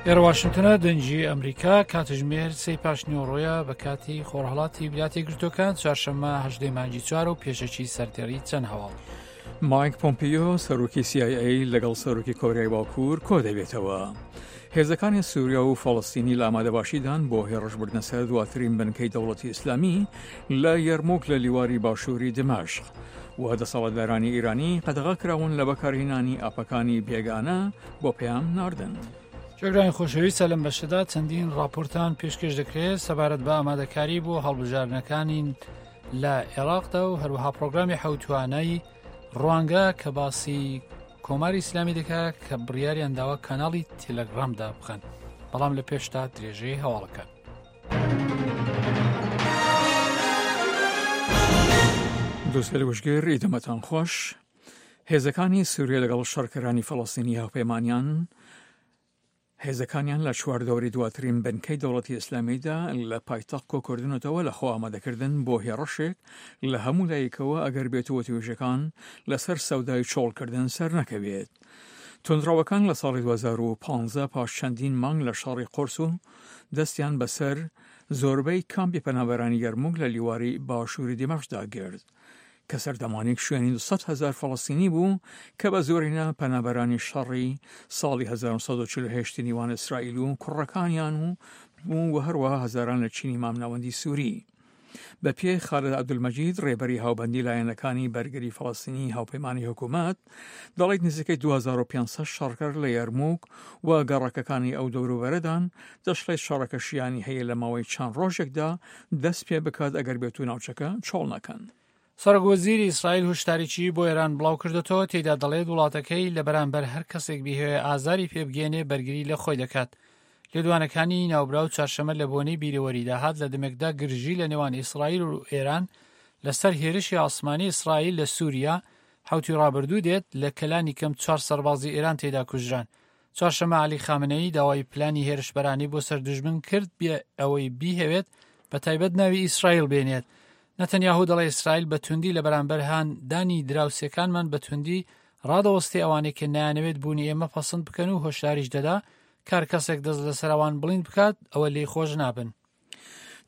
ئێرە واشنتنە دەنگی ئەمریکا کاتژمێر سێی پاشنیوەڕۆیە بە کاتی خۆرهەڵاتی ویلایەتە یەکگرتووەکان چوارشەممە هەژدەی مانگی چوار و پێشەکی سەردێڕی چەند هەواڵ. مایک پۆمپیۆ سەرۆکی CIA لەگەڵ سەرۆکی کۆریای باکوور کۆدەبێتەوە. هێزەکانی سووریا و فەڵەستینی لە ئامادەباشیدان بۆ هێڕشبردنە سەر دواترین بنکەی دەوڵەتی ئیسلامی لە یەرموک لە لیواری باشووری دمەشق و دەسەڵاتدارانی ئیرانی قەدەغە کراون لە بەکارهێنانی ئاپەکانی بێگانە بۆ پەیام ناردن. جێگرانی خۆشەویست لەم بەشەدا چەندین راپۆرتان پێشکێش دەکرێت سەبارەت بە ئامادەکاری بۆ هەڵبژاردنەکانی لە عێراقدا و هەروەها پرۆگرامی حەوتوانای ڕوانگە کە باسی کۆماری ئیسلامی دەکات کە بڕیاریان داوە کەناڵی تێلگرامدا بخەن بەڵام لە پێشتا درێژەی هەواڵەکان. دووسێ وشگر ئیدەمەتان خۆش هێزەکانی سووریە لەگەڵ شەڕکەرانی فەڵەستینی هاوپەیمانیان هێزەکانیان لە چواردەوری دواترین بنکەی دەوڵەتی ئیسلامیدا لە پایتەخت کۆکردنەتەوە لە خۆ ئامادەکردن بۆ هێڕشێک لە هەموو لایەکەوە ئەگەر بێت وتوێژەکان لەسەر سەودای چۆڵکردن سەرنەکەوێت. توندڕەوەکان لە ساڵی 2015 پاش چەندین مانگ لە شەڕی قورس و دەستیان بەسەر زۆربەی کامپی پەنابەرانی یەرموک لە لیواری باشووری دیمەشقدا گرت. کە سەردەمانێک شوێنی 200 هەزار فەڵەستینی بوو کە بە زۆرینە پەنابەرانی شەڕی ساڵی 1948 نێوان ئیسرائیل و کوڕەکانیان و بوو و هەروەها هەزاران لە چینی مامناوەندی سووری. بە پێی خالد عەبدولمەجید ڕێبەری هاوبەندی لایەنەکانی بەرگری فەڵەستینی هاوپەیمانی حکوومەت دەڵێت نزیکەی 2500 شەڕکەر لە یەرموک و گەڕەکەکانی ئەو دەوروبەرەدان، دەشڵێت شەڕەکە شیانی هەیە لە ماوەی چەند ڕۆژێکدا دەست پێ بکات ئەگەر بێتو ناوچەکە چۆڵ نەکەن. سەرۆک وەزیری ئیسرائیل هوشداریی بۆ ئێران بڵاوکردۆتەوە، تێیدا دەڵێت وڵاتەکەی لە بەرامبەر هەر کەسێک بیهەوێ ئازاری پێ بگەیەنێ بەرگری لە خۆی دەکات. لێدوانەکانی ناوبراو چوارشەممە لە بۆنەی بیرەوەریدا هات لە دەمێکدا گرژی لە نێوان ئیسرائیل و ئێران لەسەر هێرشی ئاسمانی ئیسرائیل لە سووریا حەوتووی ڕابردوو دێت لە کە لانیکەم چوار سەربازی ئێران تێیدا کوژران. چوارشەممە عەلی خامنەیی داوای پلانی هێرشبەرانەی بۆ سەر دوژمن کرد بێ ئەوەی بیهەوێت بە تایبەت ناوی ئیسرائیل بێنێت. نەتەنیاهو دەڵێ ئیسرائیل بە توندی لە بەرامبەر هان دانی دراوسێکانمان بە توندی ڕادەوەستێ ئەوانەی کە نایانەوێت بوونی ئێمە پەسند بکەن و هۆشداریش دەدا کار کەسێک دەست لەسەر ئەوان بڵیند بکات ئەوە لێی خۆش نابن.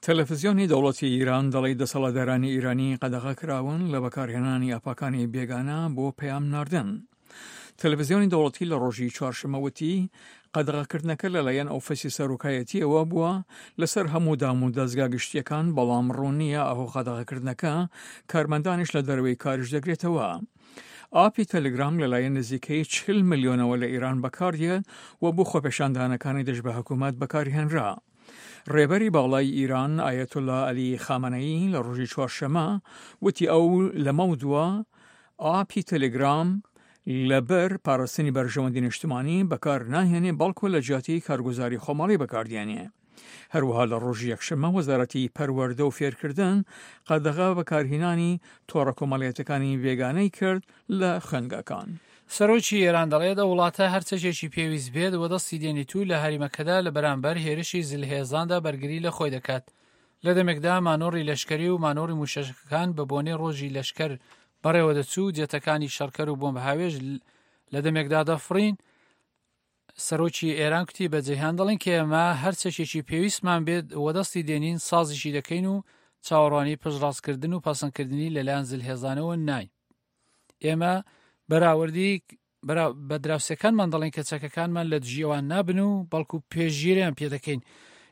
تەلەفزیۆنی دەوڵەتی ئیران دەڵی دەسەڵاتدارانی ئیرانی قەدەغە کراون لە بەکارهێنانی ئاپاکانی بێگانە بۆ پەیام ناردن. تەلەفزیۆنی دەوڵەتی لە ڕۆژی چوارشەممە وتی، قەدەغەکردنەکە لەلایەن ئۆفیسی سەرۆکایەتییەوە بووە لەسەر هەموو دام و دەزگا گشتییەکان، بەڵام ڕوون نییە ئاخۆ قەدەغەکردنەکە کارمەندانیش لە دەرەوەی کاریش دەگرێتەوە. ئاپی تەلەگرام لەلایەن نزیکەی 40 ملیۆنەوە لە ئێران بەکاردێت و بۆ خۆپێشاندانەکانی دژ بە حکوومەت بەکارهێنرا. ڕێبەری باڵای ئیران ئایەتوڵا عەلی خامەنەیی لە ڕۆژی چوارشەممە وتی ئەو لەمەودوا ئاپی تەلەگرام لەبەر پاراستنی بەرژەوەندی نیشتمانی بەکار ناهێنێ بەڵکو لە جیاتی کارگوزاری خۆماڵی بەکاردێنێ. هەروەها لە ڕۆژی یەکشەممە وەزارەتی پەروەردە و فێرکردن قەدەغە بەکارهێنانی تۆڕە کۆمەڵیەتەکانی بێگانەی کرد لە خوێندگاکان. سەرۆکی ئێران دەڵێت، ئەو وڵاتە هەر چەکێکی پێویست بێت وەدەستی دێنیت و لە هەریمەکەدا لە بەرامبەر هێرشی زلهێزاندا بەرگری لە خۆی دەکات. لە دەمێکدا مانۆڕی لەشکەری و مانۆڕی مووشەکەکان بە بۆنەی ڕۆژی لەشکەر بەڕێوەدەچوو و جێتەکانی شەڕکەر و بۆمبهاوێژ لە دەمێکدا دەفڕین، سەرۆکی ئێران کوتی بە جیهان دەڵێن کە ئێمە هەر چەکێکی پێویستمان بێت وەدەستی دێنین سازیشی دەکەین و چاوەڕوانی پشتڕاستکردن و پەسەندکردنی لەلایەن زلهێزانەوە ناین. ئێمە بەراوردی بە دراوسێکانمان دەڵێن کە چەکەکانمان لە دژی ئەوان نابن و بەڵکو پێشگیریان پێدەکەین.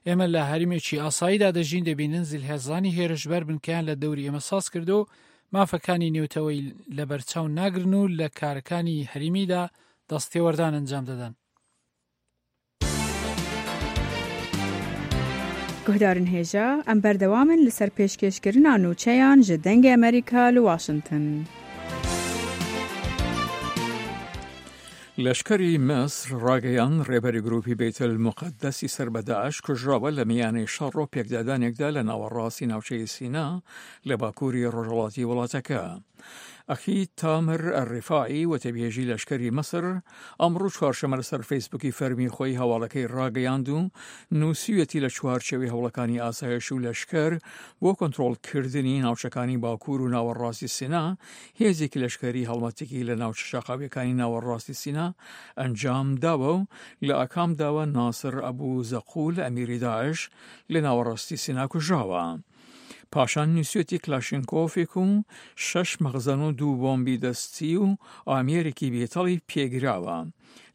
ئێمە لە هەرمێکی ئاساییدا دەژین دەبینن زلهێزانی هێرشبەر بنکەیان لە دەوری ئێمە ساز کردو و مافەکانی نێوتەوەی لەبەرچاو ناگرن و لە کارەکانی هەریمیدا دەستێوەردان ئەنجام دەدەن. Guhdarên hêja, em berdewam in li ser pêşkêşkirina nûçeyan ji Dengê Amerîka li Washington. لەشکری میسر ڕاگەیاند ڕێبەری گروپی بەیتل موقەدەسی سەر بە داعش کوژراوە لە میانەی شەڕ و پێکدادانێکدا لە ناوەڕاستی ناوچەی سینا لە باکووری ڕۆژهەڵاتی وڵاتەکە. ئەخید تامر ئەلڕیفاعی وتەبێژی لەشکری میسر ئەمڕۆ چوارشەممە لەسەر فەیسبووکی فەرمی خۆی هەواڵەکەی ڕاگەیاند و نووسیویەتی لە چوارچێوەی هەوڵەکانی ئاسایش و لەشکر بۆ کۆنترۆڵکردنی ناوچەکانی باکوور و ناوەڕاستی سینا هێزێکی لەشکری هەڵمەتێکی لە ناوچە شاخاویەکانی ناوەڕاستی سینا ئەنجام داوە و لە ئاکامداوە ناسر ئەبوو زەقول ئەمیری داعش لە ناوەڕاستی سینا کوژراوە. پاشان نووسیویەتی کلاشینکۆفێک و شەش مەخزەن و دوو بۆمبی دەستی و ئامێرێکی بێتەڵی پێگراوە.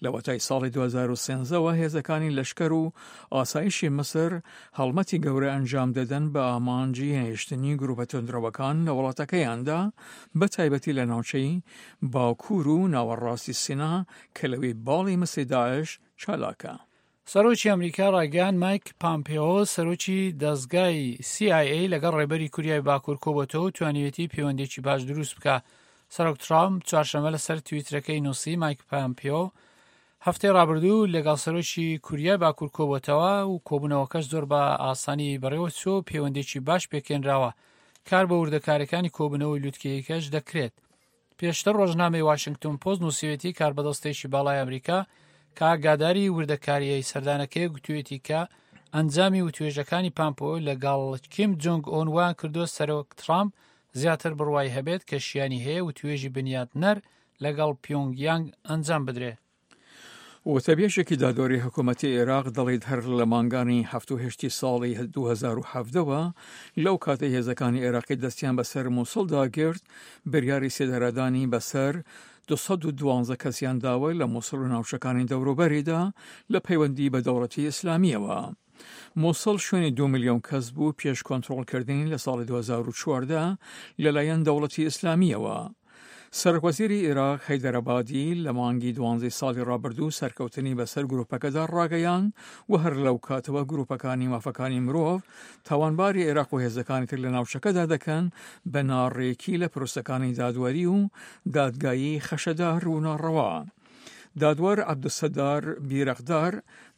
لەوەتای ساڵی 2013 وە هێزەکانی لەشکر و ئاسایشی میسر هەڵمەتی گەورە ئەنجام دەدەن بە ئامانجی نەهێشتنی گروپە توندڕەوەکان لە وڵاتەکەیاندا بە تایبەتی لە ناوچەی باکوور و ناوەڕاستی سینا کە لەوێ باڵی میسری داعش چالاکە. سەرۆکی ئەمریکا ڕایگەیاند مایک پامپێۆ سەرۆکی دەزگای سی ئای ئەی لەگەڵ ڕێبەری کوریای باکوور کۆبۆتەوە و توانیوێتی پەیوەندیی باش دروست بکا. سەرۆک ترامپ چوارشەممە لەسەر تویترەکەی نووسی مایک پامپێۆ هەفتەی ڕابردوو لەگەڵ سەرۆکی کوریای باکوور کۆبۆتەوە و کۆبوونەوەکەش زۆر بە ئاسانی بەڕێوە چووە و پەیوەندیی باش پێکهێنراوە. کار بۆ وردەکاریەکانی کۆبوونەوەی لوتکەیەکەش دەکرێت. پێشتر ڕۆژنامەی واشنگتۆن پۆست نووسیوێتی کاربەدەستێکی باڵای ئەمریکا کە ئاگاداری وردەکاریی سەردانەکەی گوتوێتی کە ئەنجامی وتوێژەکانی پامپۆ لەگەڵ کیم جۆنگ ئۆن وایان کردووە سەرۆک ترامپ زیاتر بڕوای هەبێت کە شیانی هەیە وتوێژی بنیاتنەر لەگەڵ پیۆنگ یانگ ئەنجام بدرێ. وتەبێژێکی دادوەری حکوومەتی عێراق دەڵێت هەر لە مانگانی هەفت و هەشتی ساڵی 2017 وە لەو کاتەی هێزەکانی عێراقی دەستیان بەسەر مووسڵدا گرت بریاری سێدارەدانی بەسەر 212 کەسیان داوە لە مووسڵ و ناوچەکانی دەوروبەریدا لە پەیوەندی بە دەوڵەتی ئیسلامیەوە. موسڵ شوێنی دوو ملیۆن کەس بوو پێش کۆنترۆڵکردنی لە ساڵی 2014 لەلایەن دەوڵەتی ئیسلامییەوە. سەرۆکوەزیری ئێراق حەیدەر عەبادی لە مانگی دوانزەی ساڵی ڕابردوو سەرکەوتنی بەسەر گروپەکەدا ڕاگەیاند و هەر لەو کاتەوە گروپەکانی مافەکانی مرۆڤ تاوانباری ئێراق و هێزەکانی تر لە ناوچەکەدا دەکەن بە ناڕێکی لە پرۆسەکانی دادوەری و دادگایی خەشەدار و ناڕەوا. دادوەر عەبدولستار بیرەقدار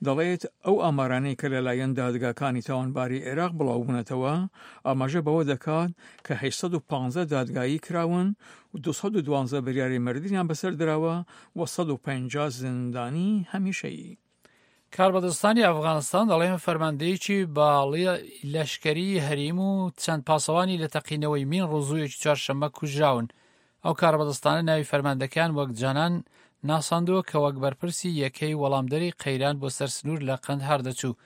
دەڵێت، ئەو ئامارانەی کە لەلایەن دادگاکانی تاوانباری عێراق بڵاوبوونەتەوە، ئاماژە بەوە دەکات کە 815 دادگایی کراون و 212 بریاری مردنیان بەسەر دراوە و 150 زیندانی هەمیشەیی. کاربەدەستانی ئەفغانستان دەڵێن فەرماندەیەکی باڵی لەشکری هەریم و چەند پاسەوانی لە تەقینەوەی مین ڕزوویەکی چوارشەممە کوژراون. ئەو کاربەدەستانە ناوی فەرماندەکەیان وەک جانان ناساندووە کە وەک بەرپرسی یەکەی وەڵامدەری قەیران بۆ سەر سنوور لە قەندهار دەچوو.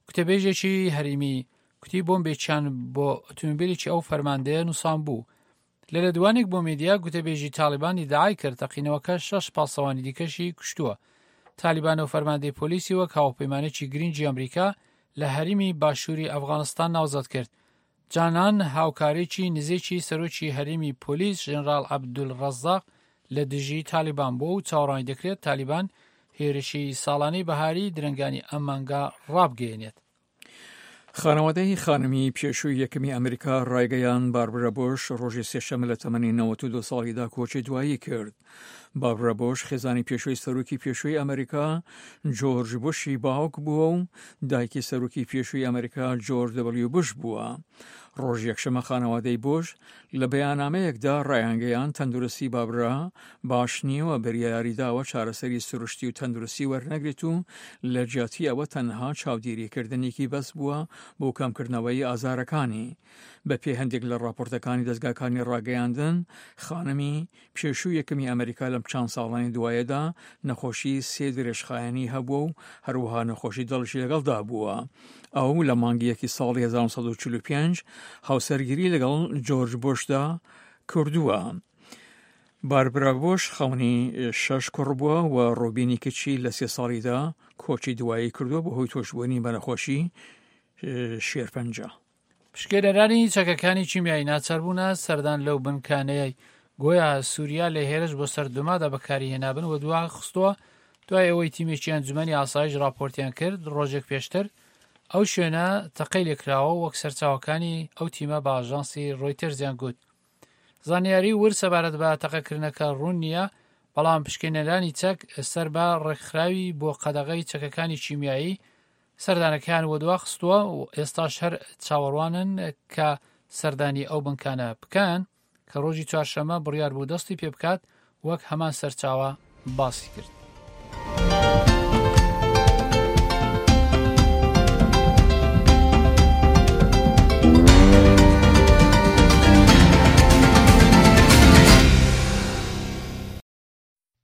کوتەبێژێکی هەریمی کوتی بۆمبێکیان بۆ ئۆتۆمبیلێکی ئەو فەرماندەیە نووسانبوو. لە لێدوانێک بۆ میدیا گوتەبێژی تاڵیبان ئیدعای کرد تەقینەوەکە شەش پاسەوانی دیکەشی کوشتووە. تالیبان و فەرماندەی پۆلیسی وەک هاوپەیمانێکی گرنگی ئەمریکا لە هەرێمی باشووری ئەفغانستان ناوزەد کرد. جانان هاوکارێکی نزیکی سەرۆکی هەرێمی پۆلیس ژەنراڵ عەبدولڕەزاق لە دژی تالیبان بووە و چاوەڕوانی دەکرێت تالیبان هێرشی ساڵانەی بەهاری درەنگانی ئەم مانگە ڕابگەیەنێت. خانەوادەی خانمی پێشووی یەکەمی ئەمریکا ڕایگەیاند باربرا بۆش ڕۆژی سێشەممە لە تەمەنی 92 ساڵیدا کۆچی دوایی کرد. باربرا بۆش خێزانی پێشووی سەرۆکی پێشووی ئەمریکا جۆرج بوشی باوک بووە و دایکی سەرۆکی پێشووی ئەمریکا جۆرج دەبلیو بوش بووە. ڕۆژی یەکشەممە خانەوادەی بوش لە بەیانامەیەکدا ڕایانگەیاند تەندروستی بابرا باش نییە و بریاریداوە چارەسەری سروشتی و تەندروستی وەرنەگرێت و لە جیاتی ئەوە تەنها چاودێریکردنێکی بەس بووە بۆ کەمکردنەوەی ئازارەکانی. بەپێی هەندێک لە ڕاپۆرتەکانی دەزگاکانی ڕاگەیاندن، خانمی پێشوو یەکەمی ئەمریکا لەم چەند ساڵانی دوایەدا نەخۆشی سێ درێژخایەنی هەبووە و هەروەها نەخۆشی دڵیشی لەگەڵدا بووە. ئەو لە مانگی یەکی ساڵی 1945 هاوسەرگیری لەگەڵ جۆرج بۆشدا کردووە. باربرا بۆش خاوەنی شەش کوڕ بووە و ڕۆبینی کچی لە سێ ساڵیدا کۆچی دوایی کردووە بەهۆی تووشبوونی بە نەخۆشی شێرپەنجە. پشکێنەرانی چەکەکانی کیمیایی ناچاربوونە سەردان لەو بنکانەی گۆیا سووریا لە هێرش بۆ سەر دومادا بەکاری هێنابن و دوا خستووە دوای ئەوەی تیمێکی ئەنجومەنی ئاسایش راپۆرتیان کرد ڕۆژێک پێشتر ئەو شوێنە تەقەی لێکراوە وەک سەرچاوەکانی ئەو تیمە بە ئاژانسی ڕۆیتەرزیان گوت زانیاری ورد سەبارەت بە تەقەکردنەکە ڕوون نییە بەڵام پشکێنەرانی چەک سەر بە ڕێکخراوی بۆ قەدەغەی چەکەکانی کیمیایی سەردانەکەیان وەدوا خستووە و ئێستاش هەر چاوەڕوانن کە سەردانی ئەو بنکانە بکەن. کە ڕۆژی چوارشەممە بڕیار بوو دەستی پێ بکات، وەک هەمان سەرچاوە باسی کرد.